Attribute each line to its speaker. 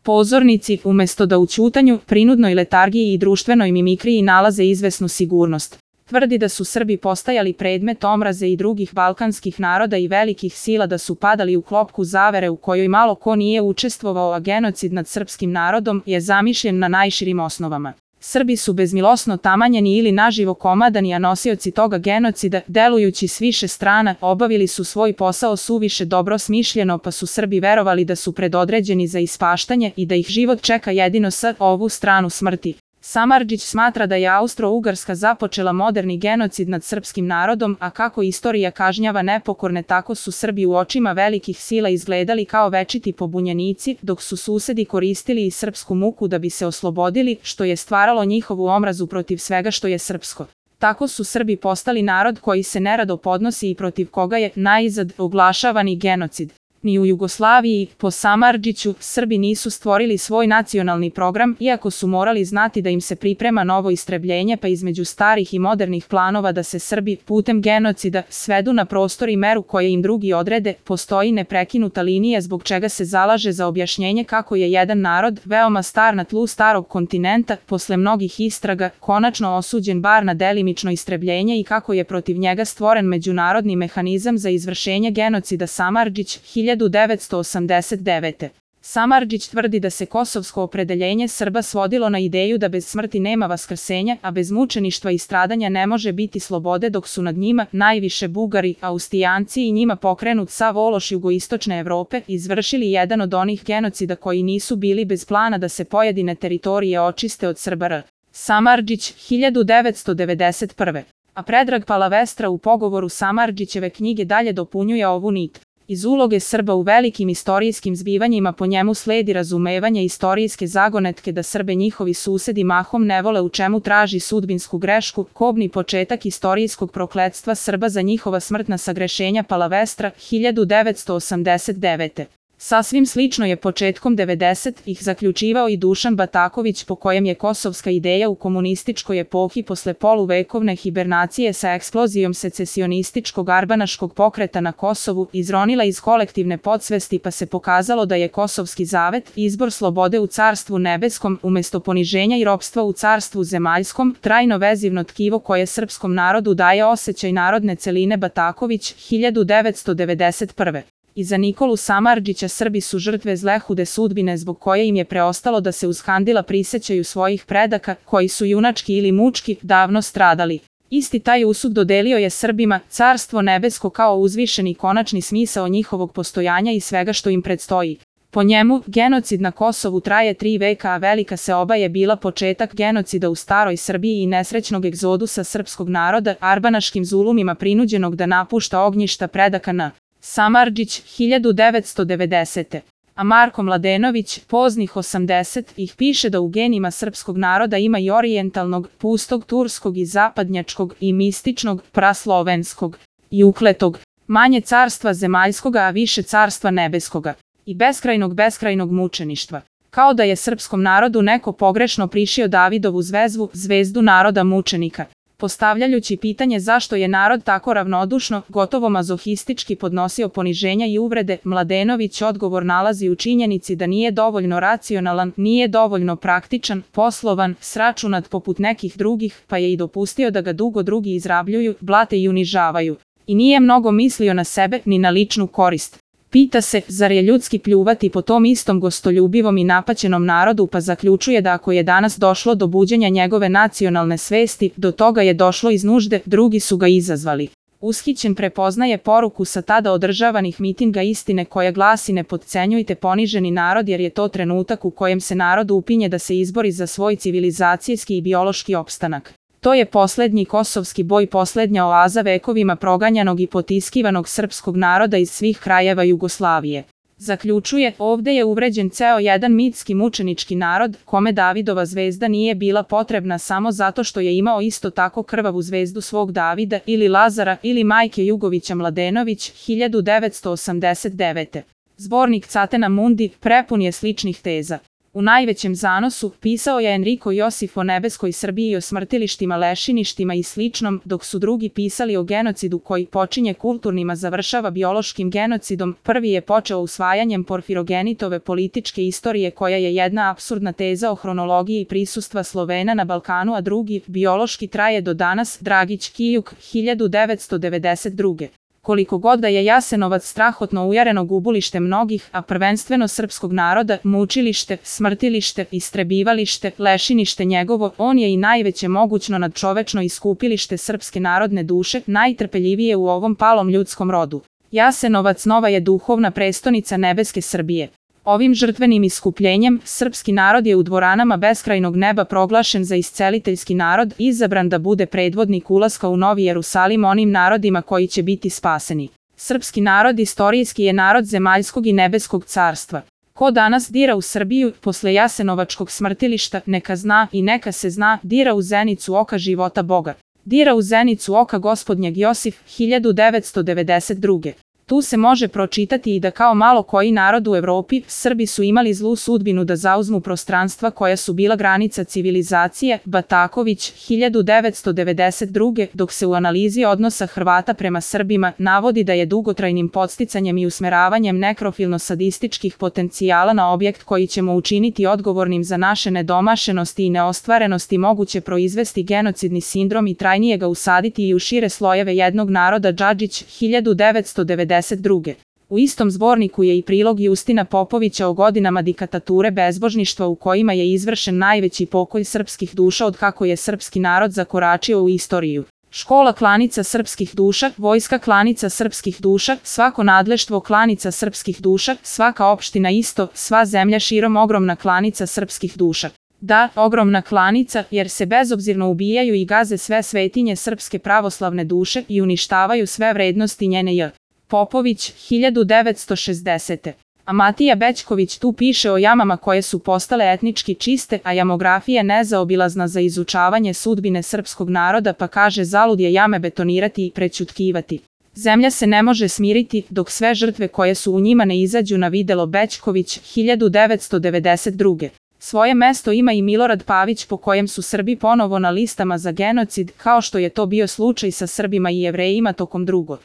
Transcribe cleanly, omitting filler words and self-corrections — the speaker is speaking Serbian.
Speaker 1: Pozornici, umesto da u ćutanju, prinudnoj letargiji i društvenoj mimikriji nalaze izvesnu sigurnost. Tvrdi da su Srbi postajali predmet omraze i drugih balkanskih naroda i velikih sila, da su padali u klopku zavere u kojoj malo ko nije učestvovao, a genocid nad srpskim narodom je zamišljen na najširim osnovama. Srbi su bezmilosno tamanjeni ili naživo komadani, a nosioci toga genocida, delujući s više strana, obavili su svoj posao suviše dobro smišljeno, pa su Srbi verovali da su predodređeni za ispaštanje i da ih život čeka jedino sa ovu stranu smrti. Samardžić smatra da je Austro-Ugarska započela moderni genocid nad srpskim narodom, a kako istorija kažnjava nepokorne, tako su Srbi u očima velikih sila izgledali kao večiti pobunjenici, dok su susedi koristili i srpsku muku da bi se oslobodili, što je stvaralo njihovu omrazu protiv svega što je srpsko. Tako su Srbi postali narod koji se nerado podnosi i protiv koga je naizad oglašavani genocid. Ni u Jugoslaviji, po Samardžiću, Srbi nisu stvorili svoj nacionalni program, iako su morali znati da im se priprema novo istrebljenje, pa između starih i modernih planova da se Srbi, putem genocida, svedu na prostor i meru koje im drugi odrede, postoji neprekinuta linija zbog čega se zalaže za objašnjenje kako je jedan narod, veoma star na tlu starog kontinenta, posle mnogih istraga, konačno osuđen bar na delimično istrebljenje i kako je protiv njega stvoren međunarodni mehanizam za izvršenje genocida. Samardžić, 1989. Samardžić tvrdi da se kosovsko opredeljenje Srba svodilo na ideju da bez smrti nema vaskrsenja, a bez mučeništva i stradanja ne može biti slobode, dok su nad njima, najviše Bugari, Austrijanci i njima pokrenut sav ološ jugoistočne Evrope, izvršili jedan od onih genocida koji nisu bili bez plana da se pojedine teritorije očiste od Srbara. Samardžić, 1991. A Predrag Palavestra u pogovoru Samardžićeve knjige dalje dopunjuje ovu nit. Iz uloge Srba u velikim istorijskim zbivanjima po njemu sledi razumevanje istorijske zagonetke da Srbe njihovi susedi mahom ne vole, u čemu traži sudbinsku grešku, kobni početak istorijskog prokletstva Srba za njihova smrtna sagrešenja. Palavestra, 1989. Sasvim slično je početkom 90-ih zaključivao i Dušan Bataković, po kojem je kosovska ideja u komunističkoj epohi posle poluvekovne hibernacije sa eksplozijom secesionističkog arbanaškog pokreta na Kosovu izronila iz kolektivne podsvesti, pa se pokazalo da je kosovski zavet, izbor slobode u carstvu nebeskom umesto poniženja i ropstva u carstvu zemaljskom, trajno vezivno tkivo koje srpskom narodu daje osjećaj narodne celine. Bataković, 1991. I za Nikolu Samardžića Srbi su žrtve zlehude sudbine zbog koje im je preostalo da se uz handila prisećaju svojih predaka, koji su junački ili mučki davno stradali. Isti taj usud dodelio je Srbima carstvo nebesko kao uzvišeni konačni smisao njihovog postojanja i svega što im predstoji. Po njemu, genocid na Kosovu traje 3 veka, a Velika seoba je bila početak genocida u staroj Srbiji i nesrećnog egzodusa srpskog naroda, arbanaškim zulumima prinuđenog da napušta ognjišta predaka na Samardžić, 1990. A Marko Mladenović, poznih 80-ih, piše da u genima srpskog naroda ima i orijentalnog, pustog, turskog i zapadnjačkog, i mističnog, praslovenskog, i ukletog, manje carstva zemaljskoga, a više carstva nebeskoga, i beskrajnog mučeništva. Kao da je srpskom narodu neko pogrešno prišio Davidovu zvezdu naroda mučenika. Postavljajući pitanje zašto je narod tako ravnodušno, gotovo mazohistički podnosio poniženja i uvrede, Mladenović odgovor nalazi u činjenici da nije dovoljno racionalan, nije dovoljno praktičan, poslovan, sračunat poput nekih drugih, pa je i dopustio da ga dugo drugi izrabljuju, blate i unižavaju. I nije mnogo mislio na sebe, ni na ličnu korist. Pita se, zar je ljudski pljuvati po tom istom gostoljubivom i napaćenom narodu, pa zaključuje da ako je danas došlo do buđenja njegove nacionalne svesti, do toga je došlo iz nužde, drugi su ga izazvali. Ushićen prepoznaje poruku sa tada održavanih mitinga istine koja glasi: ne potcenjujte poniženi narod, jer je to trenutak u kojem se narod upinje da se izbori za svoj civilizacijski i biološki opstanak. To je poslednji kosovski boj, poslednja oaza vekovima proganjanog i potiskivanog srpskog naroda iz svih krajeva Jugoslavije. Zaključuje, ovde je uvređen ceo jedan mitski mučenički narod, kome Davidova zvezda nije bila potrebna samo zato što je imao isto tako krvavu zvezdu svog Davida ili Lazara ili majke Jugovića. Mladenović, 1989. Zbornik Catena Mundi prepun je sličnih teza. U najvećem zanosu pisao je Enrico Josif o nebeskoj Srbiji i o smrtilištima, lešiništima i sličnom, dok su drugi pisali o genocidu koji počinje kulturnim a završava biološkim genocidom. Prvi je počeo usvajanjem Porfirogenitove političke istorije koja je jedna apsurdna teza o hronologiji prisustva Slovena na Balkanu, a drugi, biološki, traje do danas. Dragić Kijuk, 1992. Koliko god da je Jasenovac strahotno ujareno gubulište mnogih, a prvenstveno srpskog naroda, mučilište, smrtilište, istrebivalište, lešinište njegovo, on je i najveće mogućno nadčovečno iskupilište srpske narodne duše, najtrpeljivije u ovom palom ljudskom rodu. Jasenovac nova je duhovna prestonica nebeske Srbije. Ovim žrtvenim iskupljenjem, srpski narod je u dvoranama beskrajnog neba proglašen za isceliteljski narod, izabran da bude predvodnik ulaska u Novi Jerusalim onim narodima koji će biti spaseni. Srpski narod istorijski je narod zemaljskog i nebeskog carstva. Ko danas dira u Srbiju, posle Jasenovačkog smrtilišta, neka zna i neka se zna, dira u zenicu oka života Boga. Dira u zenicu oka Gospodnjeg. Josif, 1992. Tu se može pročitati i da kao malo koji narod u Evropi, Srbi su imali zlu sudbinu da zauzmu prostranstva koja su bila granica civilizacije. Bataković, 1992. Dok se u analizi odnosa Hrvata prema Srbima navodi da je dugotrajnim podsticanjem i usmeravanjem nekrofilno-sadističkih potencijala na objekt koji ćemo učiniti odgovornim za naše nedomašenosti i neostvarenosti moguće proizvesti genocidni sindrom i trajnije ga usaditi i u šire slojeve jednog naroda. Džadžić, 1992. U istom zborniku je i prilog Justina Popovića o godinama diktature bezbožništva u kojima je izvršen najveći pokolj srpskih duša od kako je srpski narod zakoračio u istoriju. Škola klanica srpskih duša, vojska klanica srpskih duša, svako nadleštvo klanica srpskih duša, svaka opština isto, sva zemlja širom ogromna klanica srpskih duša. Da, ogromna klanica, jer se bezobzirno ubijaju i gaze sve svetinje srpske pravoslavne duše i uništavaju sve vrednosti njene j. Popović, 1960. A Matija Bećković tu piše o jamama koje su postale etnički čiste, a jamografija nezaobilazna za izučavanje sudbine srpskog naroda, pa kaže zalud je jame betonirati i prećutkivati. Zemlja se ne može smiriti dok sve žrtve koje su u njima ne izađu na videlo. Bećković, 1992. Svoje mesto ima i Milorad Pavić po kojem su Srbi ponovo na listama za genocid, kao što je to bio slučaj sa Srbima i Jevrejima tokom II.